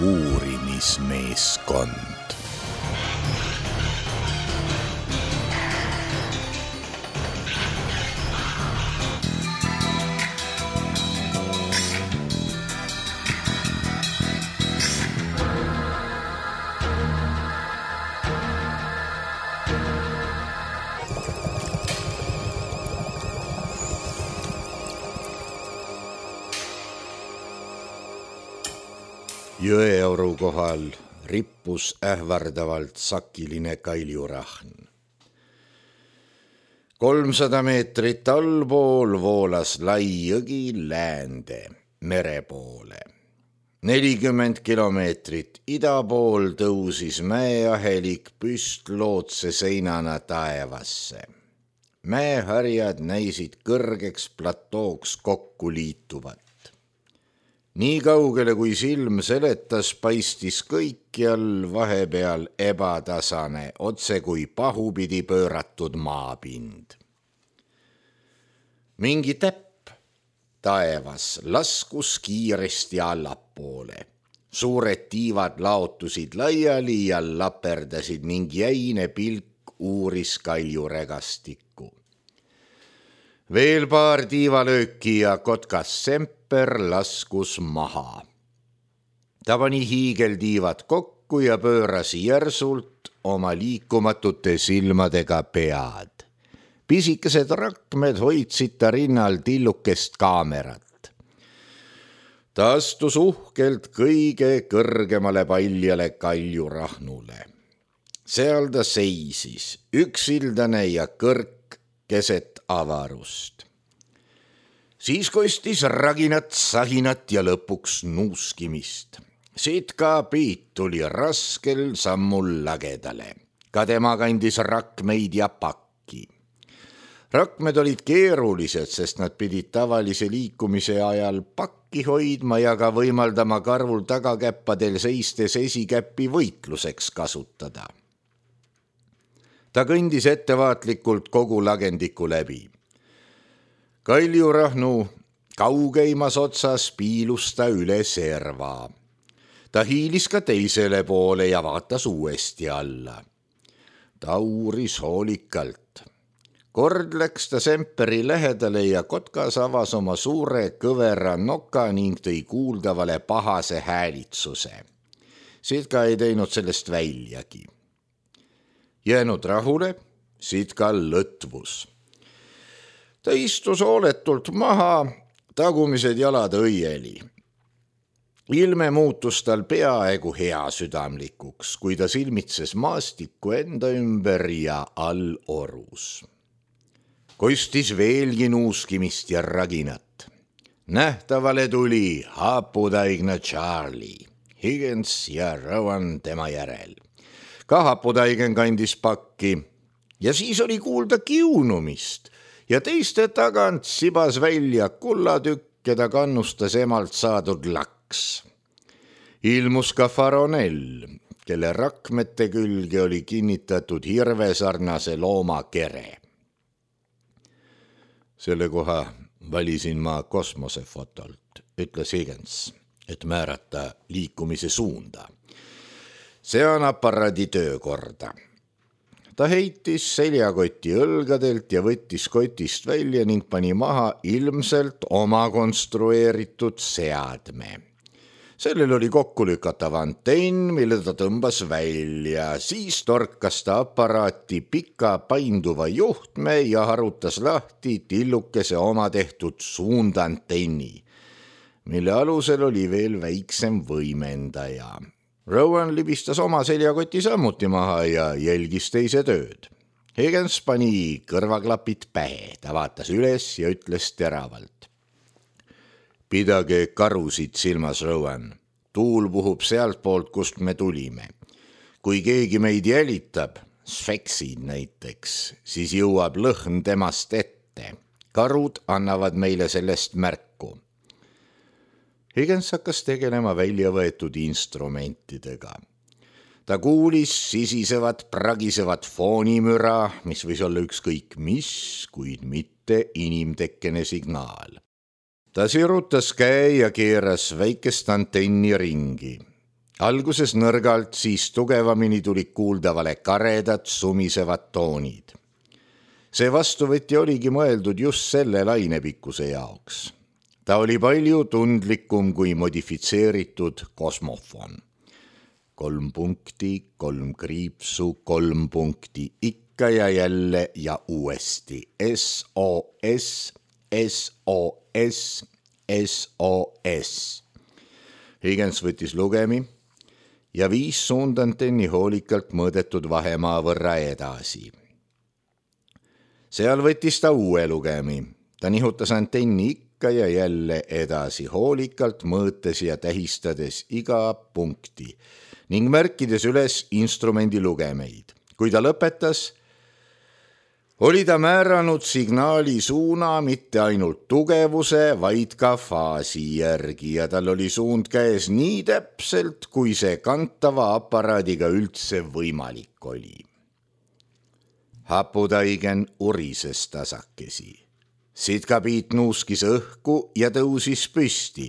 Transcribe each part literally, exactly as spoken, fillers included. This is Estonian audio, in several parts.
uurimismeeskond. Jõeoru kohal rippus ähvardavalt sakiline kaljurahn. kolmsada meetrit allpool voolas lai jõgi läände mere poole. nelikümmend kilomeetrit ida pool tõusis mäeahelik püstlootse seinana taevasse. Mäeharjad näisid kõrgeks platooks kokku liituvat. Nii kaugele kui silm seletas, paistis kõikjal vahepeal ebatasane, otse kui pahupidi pööratud maapind. Mingi täpp taevas laskus kiiresti allapoole. Suured tiivad laotusid laiali ja laperdasid ning jäine pilk uuris kaljuregastikku. Veel paar tiivalööki ja kotkas semper laskus maha. Ta pani hiigeltiivad kokku ja pööras järsult oma liikumatute silmadega pead. Pisikesed rakmed hoidsid ta rinnal tillukest kaamerat. Ta astus uhkelt kõige kõrgemale paljale kaljurahnule. Seal ta seisis, üksildane ja kõrk keset avarust. Siis kostis raginat, sahinat ja lõpuks nuuskimist. Sitka Piit tuli raskel sammul lagedale. Ka tema kandis rakmeid ja pakki. Rakmed olid keerulised, sest nad pidid tavalise liikumise ajal pakki hoidma ja ka võimaldama karvul tagakäppadel seistes esikäppi võitluseks kasutada. Ta kõndis ettevaatlikult kogu lagendiku läbi. Kaljurahnu kaugeimas otsas piilus ta üle serva. Ta hiilis ka teisele poole ja vaatas uuesti alla. Ta uuris hoolikalt. Kord läks ta semperi lähedale ja kotkas avas oma suure kõvera noka ning tõi kuuldavale pahase häälitsuse. Sitka ei teinud sellest väljagi. Jäänud rahule, Sitka lõtvus. Ta istus hooletult maha, tagumised jalad õieli. Ilme muutus tal peaaegu hea südamlikuks, kui ta silmitses maastikku enda ümber ja all orus. Kostis veelgi nuuskimist ja raginat. Nähtavale tuli haputaigna Charlie, Higgins ja Rowan tema järel. Ka haputaigen kandis pakki ja siis oli kuulda kiunumist ja teiste tagant sibas välja kullatükk, keda kannustas emalt saadud laks. Ilmus ka Faronell, kelle rakmete külge oli kinnitatud hirvesarnase looma kere. Selle koha valisin ma kosmosefotolt, ütles Higgins, et määrata liikumise suunda. See on aparaadi töökorda. Ta heitis seljakoti õlgadelt ja võttis kotist välja ning pani maha ilmselt oma konstrueeritud seadme. Sellel oli kokkulükatav antenn, mille ta tõmbas välja. Siis torkas ta aparaati pika painduva juhtme ja harutas lahti tillukese oma tehtud suundantenni, mille alusel oli veel väiksem võimendaja. Rowan libistas oma seljakoti sammuti maha ja jälgis teise tööd. Higgins pani kõrvaklapid pähe, ta vaatas üles ja ütles teravalt. Pidage karusid silmas, Rowan. Tuul puhub sealt poolt, kust me tulime. Kui keegi meid jälitab, sfeksid näiteks, siis jõuab lõhn temast ette. Karud annavad meile sellest märku. Higgins hakkas tegelema välja võetud instrumentidega. Ta kuulis sisisevat, pragisevat foonimüra, mis võis olla ükskõik mis, kuid mitte inimtekkene signaal. Ta sirutas käe ja keeras väikest antenni ringi. Alguses nõrgalt, siis tugevamini tulid kuuldavale karedad sumisevad toonid. See vastuvõtja oligi mõeldud just selle lainepikkuse jaoks. Ta oli palju tundlikum kui modifitseeritud kosmofon. Kolm punkti, kolm kriipsu, kolm punkti, ikka ja jälle ja uuesti. S O S, S O S, S O S. Higgins võttis lugemi ja viis suundantenni hoolikalt mõõdetud vahemaa võrra edasi. Seal võttis ta uue lugemi. Ta nihutas antenni ikka ja jälle edasi, hoolikalt mõõtes ja tähistades iga punkti ning märkides üles instrumendi lugemeid. Kui ta lõpetas, oli ta määranud signaali suuna mitte ainult tugevuse, vaid ka faasi järgi ja tal oli suund käes nii täpselt, kui see kantava aparaadiga üldse võimalik oli. Haputaigen urises tasakesi. Sitkapiit nuuskis õhku ja tõusis püsti.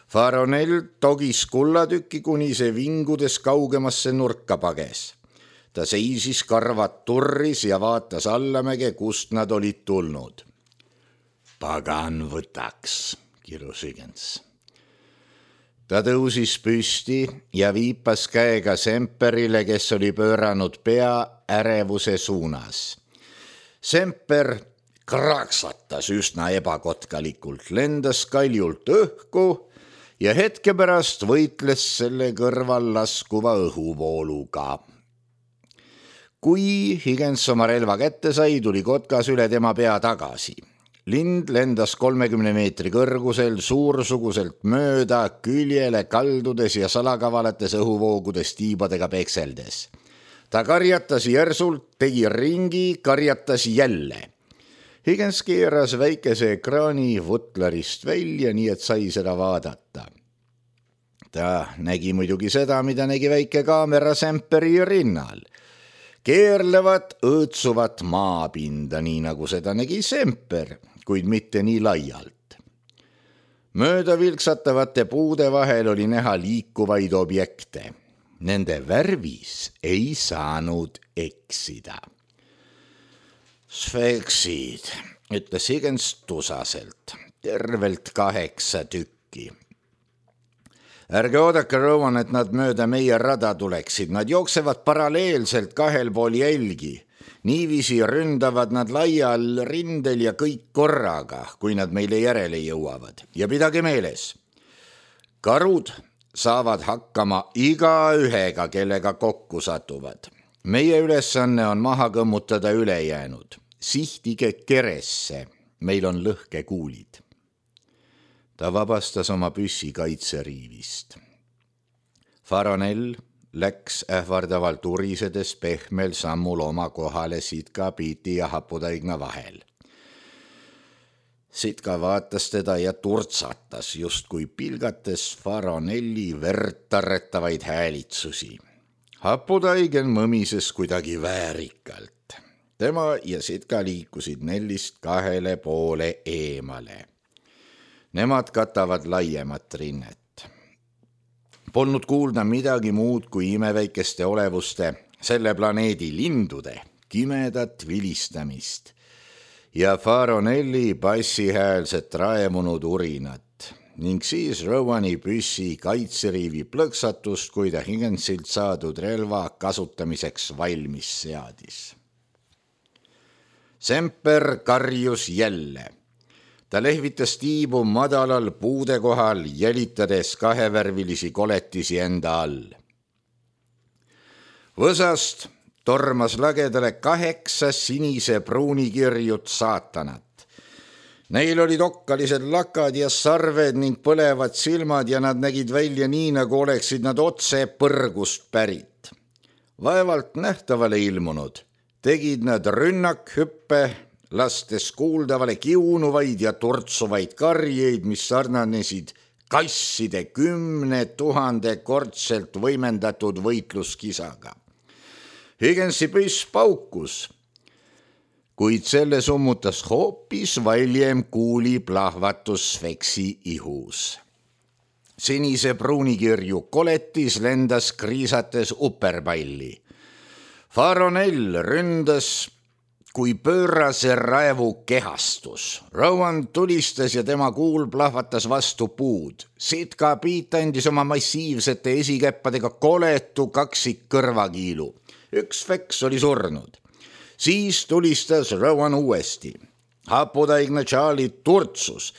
Faronell togis kullatükki, kuni see vingudes kaugemasse nurka pages. Ta seisis, karvad turris ja vaatas allamäge, kust nad olid tulnud. Pagan võtaks, kirjus Higgins. Ta tõusis püsti ja viipas käega Semperile, kes oli pööranud pea ärevuse suunas. Semper kraksatas üsna ebakotkalikult, lendas kaljult õhku ja hetke pärast võitles selle kõrval laskuva õhuvooluga. Kui Higgins oma relva kätte sai, tuli kotkas üle tema pea tagasi. Lind lendas kolmekümne meetri kõrgusel suursuguselt mööda küljele kaldudes ja salakavalates õhuvoogudes tiibadega pekseldes. Ta karjatas järsult, tegi ringi, karjatas jälle. Higgins keeras väikese ekraani vutlarist välja, nii et sai seda vaadata. Ta nägi muidugi seda, mida nägi väike kaamera Semperi rinnal. Keerlevat, õõtsuvat maapinda, nii nagu seda nägi Semper, kuid mitte nii laialt. Mööda vilksatavate puude vahel oli näha liikuvaid objekte. Nende värvis ei saanud eksida. Sfeksid, ütles Higgins tusaselt, tervelt kaheksa tükki. Ärge oodake, Rowan, et nad mööda meie rada tuleksid. Nad jooksevad paralleelselt kahel pool jälgi. Niiviisi ründavad nad laial rindel ja kõik korraga, kui nad meile järele jõuavad. Ja pidage meeles, karud saavad hakkama iga ühega, kellega kokku satuvad. Meie ülesanne on maha kõmmutada ülejäänud. Sihtige keresse, meil on lõhkekuulid. Ta vabastas oma püssi kaitseriivist. Faronell läks ähvardavalt urisedes pehmel sammul oma kohale Sitkapiiti ja Haputaigna vahel. Sitka vaatas teda ja turtsatas, justkui pilgates Faronelli vertarretavaid häälitsusi. Haputaigen mõmises kuidagi väärikalt. Tema ja Sitka liikusid Nellist kahele poole eemale. Nemad katavad laiemat rinnet. Polnud kuulda midagi muud kui imeväikeste olevuste, selle planeedi lindude, kimedat vilistamist ja Faronelli bassihäälset raemunud urinat ning siis Rowani püssi kaitseriivi plõksatust, kui ta Higginsilt saadud relva kasutamiseks valmis seadis. Semper karjus jälle. Ta lehvitas tiibu madalal puude kohal, jälitades kahevärvilisi koletisi enda all. Võsast tormas lagedale kaheksa sinise pruunikirjut saatanat. Neil olid okkalised lakad ja sarved ning põlevad silmad ja nad nägid välja nii, nagu oleksid nad otse põrgust pärit. Vaevalt nähtavale ilmunud, tegid nad rünnakhüppe, lastes kuuldavale kiunuvaid ja turtsuvaid karjeid, mis sarnanesid kasside kümne tuhande kordselt võimendatud võitluskisaga. Higginsi püss paukus, kuid selle summutas hoopis valjem kuuli plahvatus Sfeksi ihus. sinise pruunikirju koletis lendas kriisates uperpalli. Faronell ründas kui pöörase raevu kehastus. Rowan tulistas ja tema kuul plahvatas vastu puud. Sitka Piit andis oma massiivsete esikäppadega koletu kaksik kõrvakiilu. Üks feks oli surnud. Siis tulistas Rowan uuesti. Haputaigne Charlie turtsus.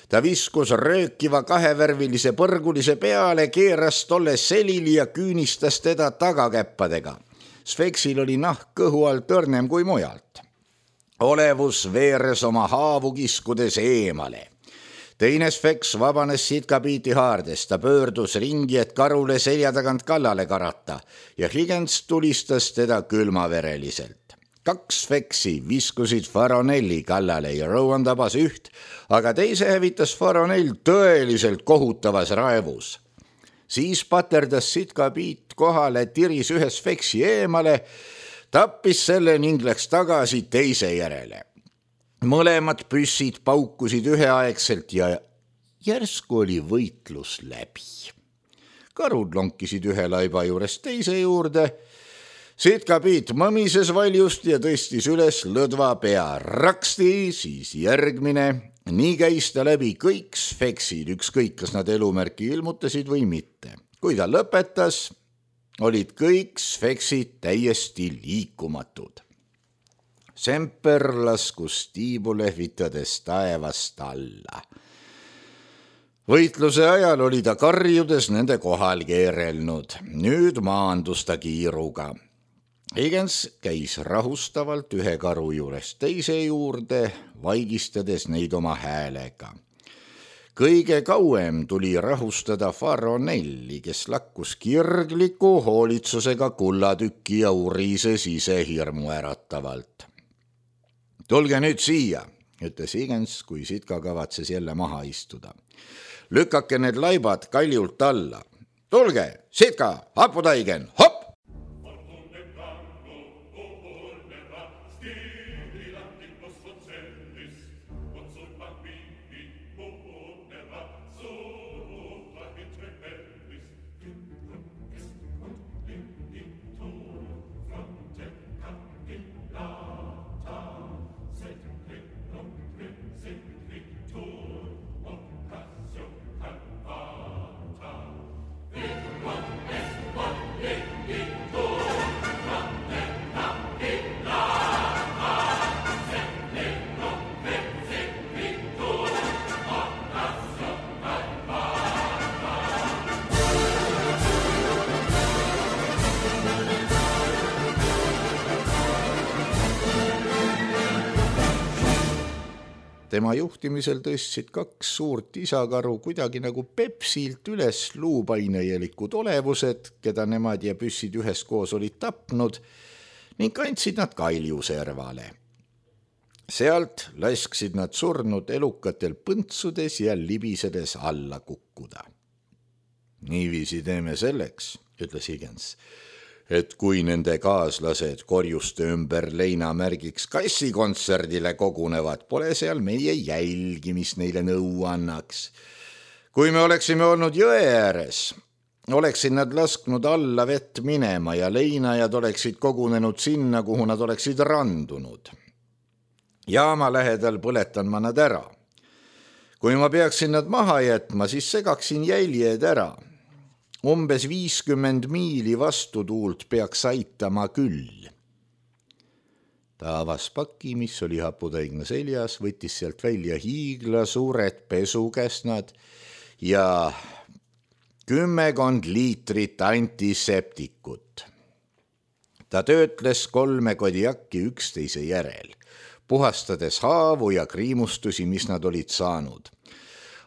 Ta viskus röökiva kahevärvilise põrgulise peale, keeras tolle selili ja küünistas teda tagakäppadega. Sfeksil oli nahk kõhu alt õrnem kui mujalt. Olevus veeres oma haavu kiskudes eemale. Teine Sfeks vabanes Sitka Piiti haardest. Ta pöördus ringi, et karule selja tagant kallale karata ja Higgins tulistas teda külmavereliselt. Kaks Sfeksi viskusid Faronelli kallale ja Rowan tabas üht, aga teise hävitas Faronell tõeliselt kohutavas raevus. Siis paterdas Sitka Piit kohale, tiris ühe Sfeksi eemale, tappis selle ning läks tagasi teise järele. Mõlemad püssid paukusid üheaegselt ja järsku oli võitlus läbi. Karud lonkisid ühe laiba juurest teise juurde. Sitka Piit mõmises valjust ja tõstis üles lõdva pea. Raksti, siis järgmine. Nii käis ta läbi kõik Sfeksid, ükskõik kas nad elumärki ilmutasid või mitte. Kui ta lõpetas, olid kõik Sfeksid täiesti liikumatud. Semper laskus tiibu lehvitades taevast alla. Võitluse ajal oli ta karjudes nende kohal keerelnud. Nüüd maandus ta kiiruga. Higgins käis rahustavalt ühe karu juurest teise juurde, vaigistades neid oma häälega. Kõige kauem tuli rahustada Faronelli, kes lakkus kirgliku hoolitsusega kullatükki ja urises ise hirmu äratavalt. Tulge nüüd siia, ütles Higgins, kui Sitka kavatses jälle maha istuda. Lükake need laibad kaljult alla. Tulge, Sitka, haputaigen, hopp! Tema juhtimisel tõstsid kaks suurt isakaru kuidagi nagu Pepsilt üles luupainejelikud olevused, keda nemad ja püssid üheskoos olid tapnud, ning kandsid nad kaljuservale. Sealt lasksid nad surnud elukatel põntsudes ja libisedes alla kukkuda. Niiviisi teeme selleks, ütles Higgins, et kui nende kaaslased korjuste ümber leinamärgiks kassikontserdile kogunevad, pole seal meie jälgi, mis neile nõu annaks. Kui me oleksime olnud jõe ääres, oleksid nad lasknud alla vett minema ja leinajad oleksid kogunenud sinna, kuhu nad oleksid randunud. Jaama lähedal põletan ma nad ära. Kui ma peaksin nad maha jätma, siis segaksin jäljed ära. Umbes viiskümmend miili vastutuult peaks aitama küll. Ta avas paki, mis oli haputaigne seljas, võttis sealt välja hiigla suured pesukäsnad ja kümmekond liitrit antiseptikut. Ta töötles kolme kodiakki üksteise järel, puhastades haavu ja kriimustusi, mis nad olid saanud.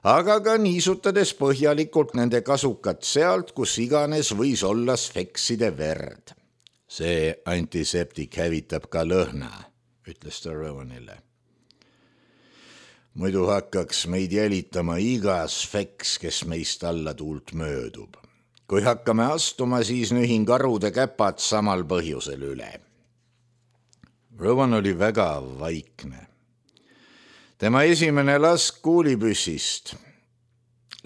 Aga ka niisutades põhjalikult nende kasukat sealt, kus iganes võis olla sfekside verd. See antiseptik hävitab ka lõhna, ütles ta Rowanile. Muidu hakkaks meid jälitama iga sfeks, kes meist alla tuult möödub. Kui hakkame astuma, siis nühin karude käpad samal põhjusel üle. Rowan oli väga vaikne. Tema esimene lask kuulipüssist,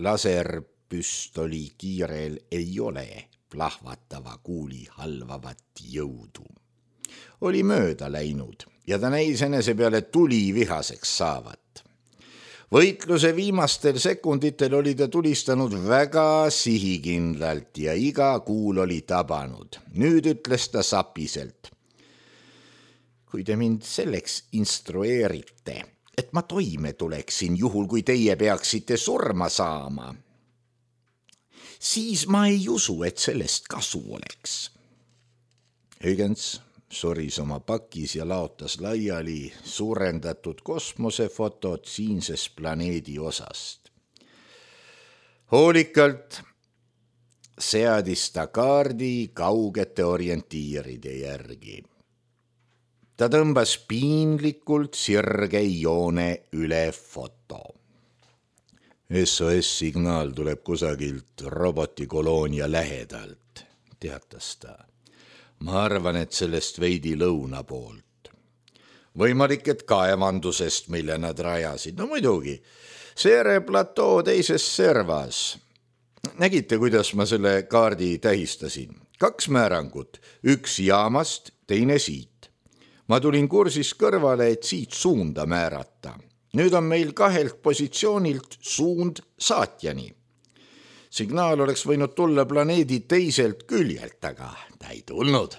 laser püstoli kiirel ei ole plahvatava kuuli halvavat jõudu. Oli mööda läinud ja ta näis enese peale tuli vihaseks saavat. Võitluse viimastel sekunditel oli ta tulistanud väga sihikindlalt ja iga kuul oli tabanud. Nüüd ütles ta sapiselt. Kui te mind selleks instrueerite, et ma toime tuleksin juhul, kui teie peaksite surma saama, siis ma ei usu, et sellest kasu oleks. Huygens soris oma pakis ja laotas laiali suurendatud kosmosefotod siinses planeedi osast. Hoolikalt seadis ta kaardi kaugete orientiiride järgi. Ta tõmbas piinlikult sirge joone üle foto. S O S-signaal tuleb kusagilt robotikoloonia lähedalt, teatas ta. Ma arvan, et sellest veidi lõuna poolt. Võimalik, et kaevandusest, mille nad rajasid. No muidugi, Seere platoo teises servas. Nägite, kuidas ma selle kaardi tähistasin? Kaks määrangut, üks jaamast, teine siit. Ma tulin kursis kõrvale, et siit suunda määrata. Nüüd on meil kahelt positsioonilt suund saatjani. Signaal oleks võinud tulla planeedi teiselt küljelt, aga ta ei tulnud.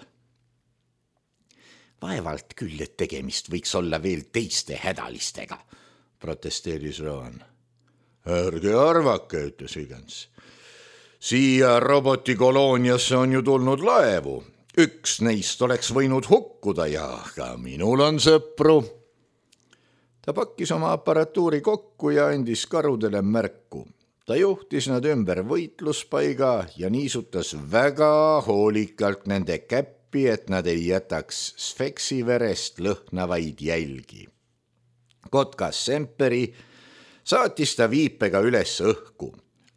Vaevalt küll, et tegemist võiks olla veel teiste hädalistega, protesteeris Rowan. Ärge arvake, ütles Huygens. Siia robotikolooniasse on ju tulnud laevu. Üks neist oleks võinud hukkuda ja ka minul on sõpru. Ta pakkis oma aparatuuri kokku ja andis karudele märku. Ta juhtis nad ümber võitluspaiga ja niisutas väga hoolikalt nende käppi, et nad ei jätaks Sfeksi verest lõhnavaid jälgi. Kotkas Semperi saatis ta viipega üles õhku.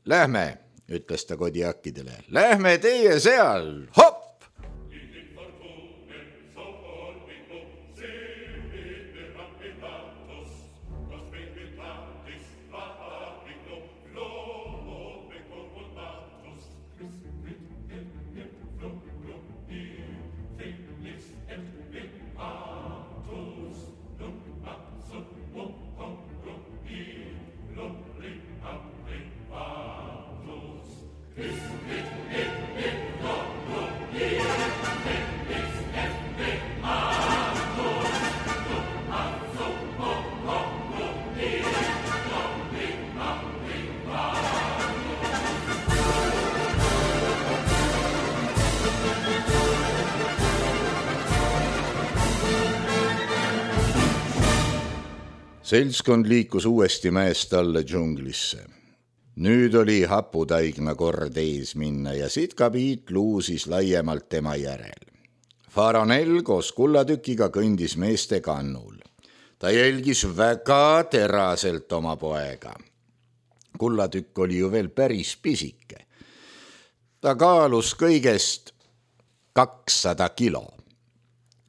Lähme, ütles ta Kodiakidele, lähme teie seal, hopp! Seltskond liikus uuesti mäest alla džunglisse. Nüüd oli haputaigna kord ees minna ja sitkapiit luusis laiemalt tema järel. Faronel koos kullatükiga kõndis meeste kannul. Ta jälgis väga teraselt oma poega. Kullatükk oli ju veel päris pisike. Ta kaalus kõigest kakssada kilo.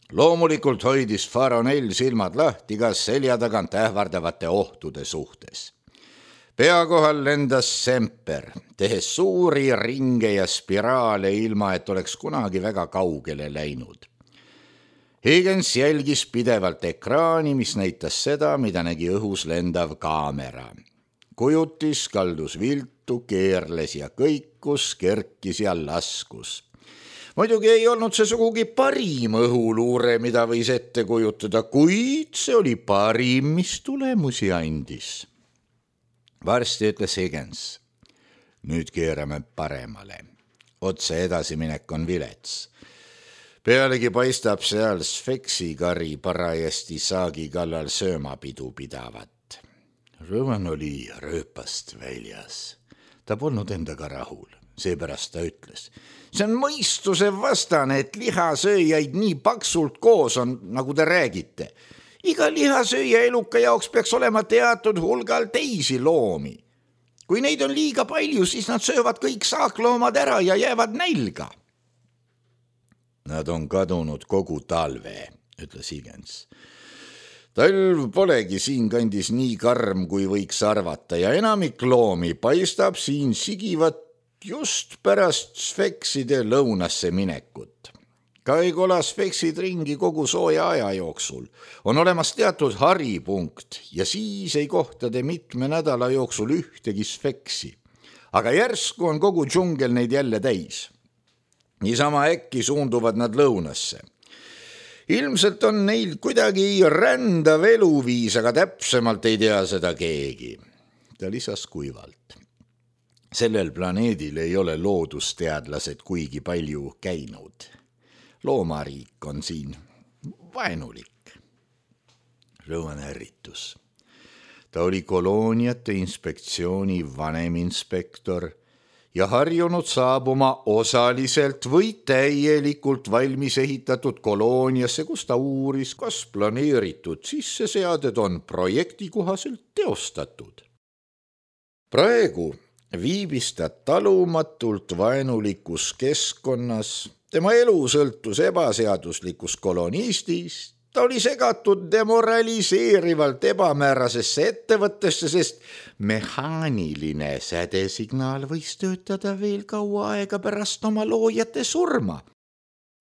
Loomulikult hoidis Faronel silmad lahti ka selja tagant ähvardavate ohtude suhtes. Pea kohal lendas Semper, tehes suuri ringe ja spiraale ilma, et oleks kunagi väga kaugele läinud. Huygens jälgis pidevalt ekraani, mis näitas seda, mida nägi õhus lendav kaamera. Kujutis, kaldus viltu, keerles ja kõikus, kerkis ja laskus. Muidugi ei olnud see sugugi parim õhuluure, mida võis ette kujutada, kuid see oli parim, mis tulemusi andis. Varsti ütles Huygens. Nüüd keerame paremale. Otse edasiminek on vilets. Pealegi paistab seal Sfeksi kari parajasti saagi kallal söömapidu pidavat. Rowan oli rööpast väljas. Ta polnud endaga rahul. Seepärast ta ütles. See on mõistuse vastane, et lihasööjaid nii paksult koos on, nagu te räägite. Iga lihasööja eluka jaoks peaks olema teatud hulgal teisi loomi. Kui neid on liiga palju, siis nad söövad kõik saakloomad ära ja jäävad nälga. Nad on kadunud kogu talve, ütles Huygens. Talv polegi siin kandis nii karm, kui võiks arvata ja enamik loomi paistab siin sigivat just pärast sfekside lõunasse minekut. Ka ei kola sfeksid ringi kogu sooja aja jooksul. On olemas teatud haripunkt ja siis ei kohta te mitme nädala jooksul ühtegi sfeksi. Aga järsku on kogu džungel neid jälle täis. Niisama äkki suunduvad nad lõunasse. Ilmselt on neil kuidagi rändav eluviis, aga täpsemalt ei tea seda keegi. Ta lisas kuivalt. Sellel planeedil ei ole loodusteadlased kuigi palju käinud. Loomariik on siin vaenulik. Rowan ärritus. Ta oli kolooniate inspektsiooni vanem inspektor ja harjunud saabuma osaliselt või täielikult valmis ehitatud kolooniasse, kus ta uuris, kas planeeritud sisseseaded on projekti kohaselt teostatud. Praegu viibis ta talumatult vaenulikus keskkonnas, tema elu sõltus ebaseaduslikus kolonistis, ta oli segatud demoraliseerivalt ebamäärasesse ettevõttesse, sest mehaaniline sädesignaal võis töötada veel kaua aega pärast oma loojate surma.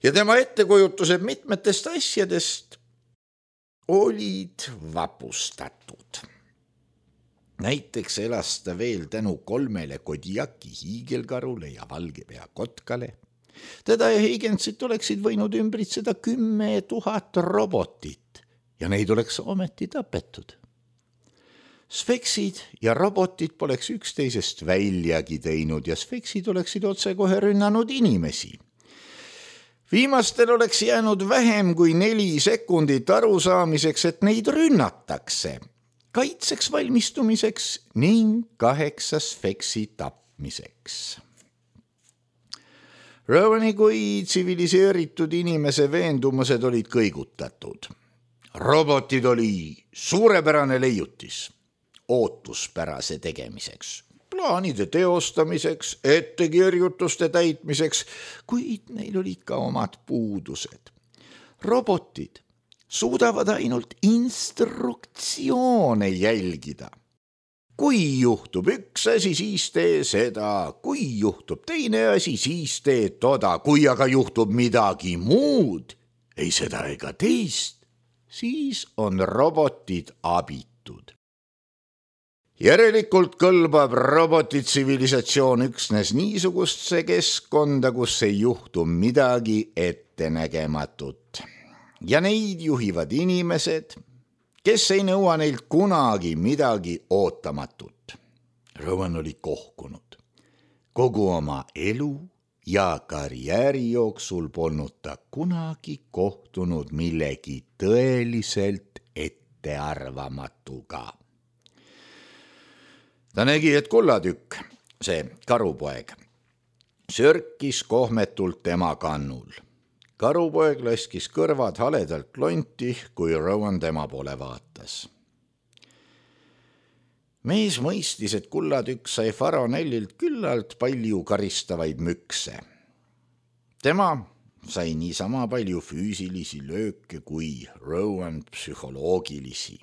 Ja tema ettekujutused mitmetest asjadest olid vapustatud. Näiteks elas ta veel tänu kolmele Kodiaki hiigelkarule ja valgepea kotkale. Teda ja Higginsit oleksid võinud ümbritseda kümme tuhat robotit ja neid oleks ometi tapetud. Sfeksid ja robotid poleks üksteisest väljagi teinud ja sfeksid oleksid otsekohe rünnanud inimesi. Viimastel oleks jäänud vähem kui neli sekundit arusaamiseks, et neid rünnatakse, kaitseks valmistumiseks ning kaheksa sfeksi tapmiseks. Rowani kui tsiviliseeritud inimese veendumused olid kõigutatud. Robotid oli suurepärane leiutis, ootuspärase tegemiseks, plaanide teostamiseks, ettekirjutuste täitmiseks, kuid neil olid ka omad puudused. Robotid suudavad ainult instruktsioone jälgida. Kui juhtub üks asi, siis tee seda. Kui juhtub teine asi, siis tee toda. Kui aga juhtub midagi muud, ei seda ega teist, siis on robotid abitud. Järelikult kõlbab robotitsivilisatsioon üksnes niisugustse keskkonda, kus ei juhtu midagi ettenägematut. Ja neid juhivad inimesed, kes ei nõua neilt kunagi midagi ootamatut. Rowan oli kohkunud. Kogu oma elu ja karjääri jooksul polnud ta kunagi kohtunud millegi tõeliselt ettearvamatuga. Ta nägi, et kullatükk, see karupoeg, sörkis kohmetult tema kannul. Karupoeg laskis kõrvad haledalt lonti, kui Rowan tema poole vaatas. Mees mõistis, et kullatükk sai Faronellilt küllalt palju karistavaid mükse. Tema sai niisama palju füüsilisi lööke kui Rowan psühholoogilisi.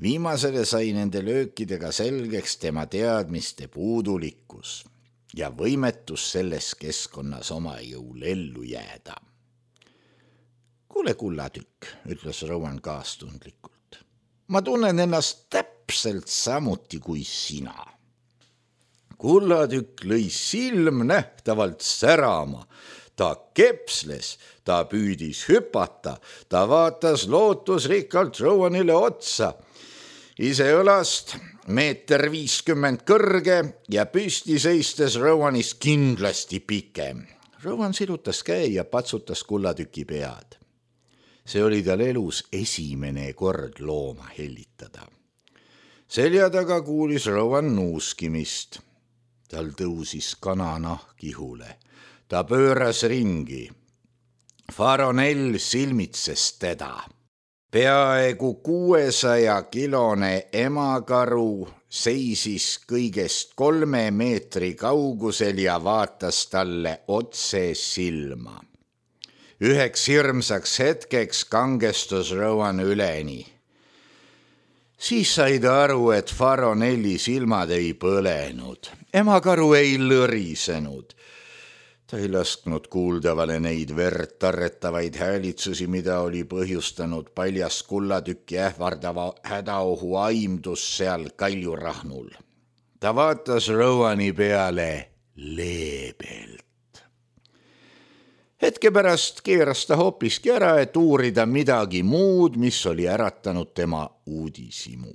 Viimasele sai nende löökidega selgeks tema teadmiste puudulikkus ja võimetus selles keskkonnas oma jõul ellu jääda. Kuule, kullatükk, ütles Rowan kaastundlikult. Ma tunnen ennast täpselt samuti kui sina. Kullatükk lõi silm nähtavalt särama. Ta kepsles, ta püüdis hüpata, ta vaatas lootusrikkalt Rowanile otsa. Ise õlast meeter viiskümmend kõrge ja püsti seistes Rowanist kindlasti pikem. Rowan sirutas käe ja patsutas kullatüki pead. See oli tal elus esimene kord looma hellitada. Selja taga kuulis Rowan nuuskimist. Tal tõusis kananahk ihule. Ta pööras ringi. Faronell silmitses teda. Peaaegu kuuesaja kilone emakaru seisis kõigest kolme meetri kaugusel ja vaatas talle otse silma. Üheks hirmsaks hetkeks kangestus Rowan üleni. Siis sai ta aru, et Faronelli silmad ei põlenud. Emakaru ei lõrisenud. Ta ei lasknud kuuldavale neid verd tarretavaid häälitsusi, mida oli põhjustanud paljas kullatükki ähvardava hädaohu aimdus seal kaljurahnul. Ta vaatas Rowani peale leebelt. Hetke pärast keeras ta hoopiski ära, et uurida midagi muud, mis oli äratanud tema uudishimu.